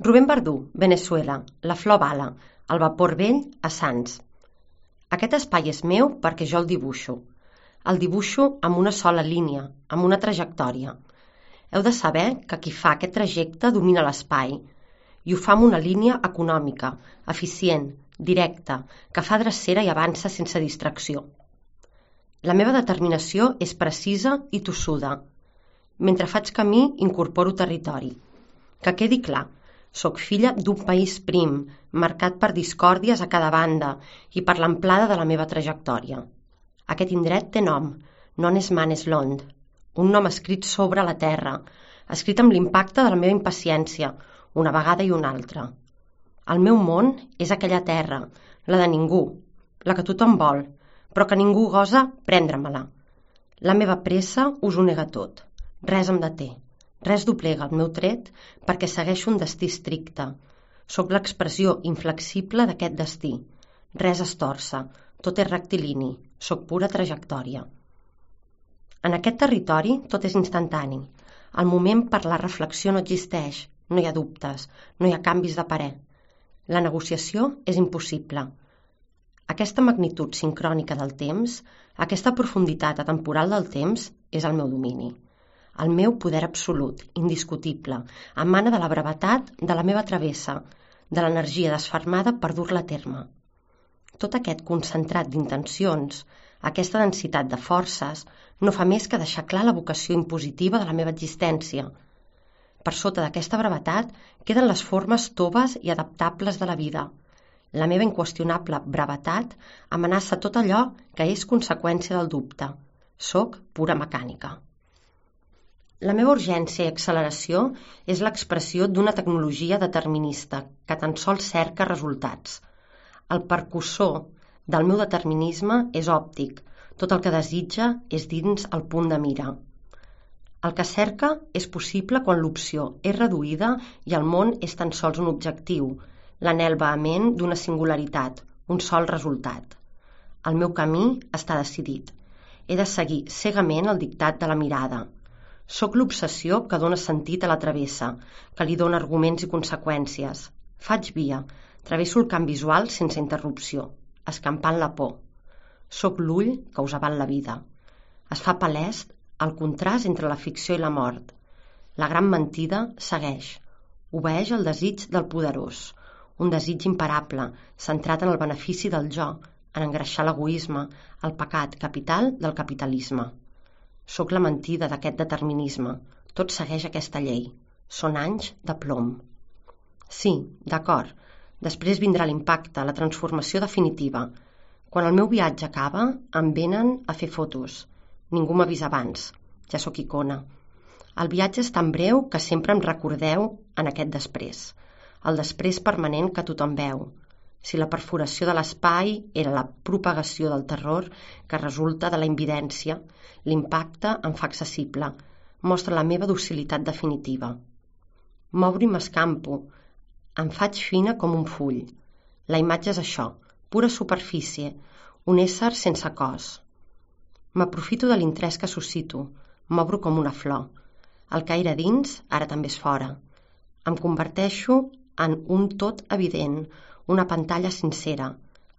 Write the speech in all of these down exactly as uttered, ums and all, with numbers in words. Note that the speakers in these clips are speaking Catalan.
Rubén Verdú, Veneçuela, la flor bala, el vapor vell a Sants. Aquest espai és meu perquè jo el dibuixo. El dibuixo amb una sola línia, amb una trajectòria. Heu de saber que qui fa aquest trajecte domina l'espai i ho fa amb una línia econòmica, eficient, directa, que fa drecera i avança sense distracció. La meva determinació és precisa i tossuda. Mentre faig camí, incorporo territori. Que quedi clar, soc filla d'un país prim, marcat per discòrdies a cada banda i per l'amplada de la meva trajectòria. Aquest indret té nom, Non és man és Lond, un nom escrit sobre la terra, escrit amb l'impacte de la meva impaciència, una vegada i una altra. El meu món és aquella terra, la de ningú, la que tothom vol, però que ningú gosa prendre-me-la. La meva pressa us ho nega tot. Res em deté. Res doblega el meu tret perquè segueixo un destí estricte. Soc l'expressió inflexible d'aquest destí. Res es torça, tot és rectilini, soc pura trajectòria. En aquest territori tot és instantani. El moment per la reflexió no existeix, no hi ha dubtes, no hi ha canvis de parer. La negociació és impossible. Aquesta magnitud sincrònica del temps, aquesta profunditat atemporal del temps, és el meu domini. El meu poder absolut, indiscutible, emana de la brevetat de la meva travessa, de l'energia desfermada per dur-la a terme. Tot aquest concentrat d'intencions, aquesta densitat de forces, no fa més que deixar clar la vocació impositiva de la meva existència. Per sota d'aquesta brevetat queden les formes toves i adaptables de la vida. La meva inqüestionable brevetat amenaça tot allò que és conseqüència del dubte. Soc pura mecànica. La meva urgència i acceleració és l'expressió d'una tecnologia determinista que tan sols cerca resultats. El percussor del meu determinisme és òptic, tot el que desitja és dins el punt de mira. El que cerca és possible quan l'opció és reduïda i el món és tan sols un objectiu, l'anhel vehement d'una singularitat, un sol resultat. El meu camí està decidit. He de seguir cegament el dictat de la mirada. Soc l'obsessió que dóna sentit a la travessa, que li dóna arguments i conseqüències. Faig via, travesso el camp visual sense interrupció, escampant la por. Soc l'ull que us aval la vida. Es fa palès el contrast entre la ficció i la mort. La gran mentida segueix, obeeix el desig del poderós, un desig imparable, centrat en el benefici del jo, en engreixar l'egoisme, el pecat capital del capitalisme. Soc la mentida d'aquest determinisme. Tot segueix aquesta llei. Són anys de plom. Sí, d'acord. Després vindrà l'impacte, la transformació definitiva. Quan el meu viatge acaba, em venen a fer fotos. Ningú m'avisa abans. Ja sóc icona. El viatge és tan breu que sempre em recordeu en aquest després. El després permanent que tothom veu. Si la perforació de l'espai era la propagació del terror que resulta de la invidència, l'impacte em fa accessible, mostra la meva docilitat definitiva. M'obro i m'escampo, em faig fina com un full. La imatge és això, pura superfície, un ésser sense cos. M'aprofito de l'interès que suscito, m'obro com una flor. El que era dins, ara també és fora. Em converteixo en un tot evident, una pantalla sincera.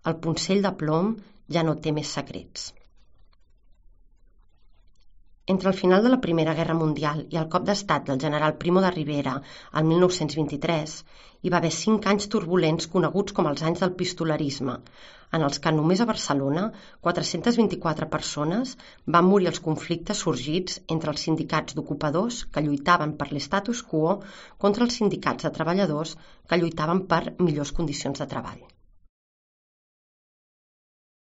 El poncell de plom ja no té més secrets. Entre el final de la Primera Guerra Mundial i el cop d'estat del general Primo de Rivera el mil nou-cents vint-i-tres, hi va haver cinc anys turbulents coneguts com els anys del pistolerisme, en els que només a Barcelona quatre-centes vint-i-quatre persones van morir als conflictes sorgits entre els sindicats d'ocupadors que lluitaven per l'estatus quo contra els sindicats de treballadors que lluitaven per millors condicions de treball.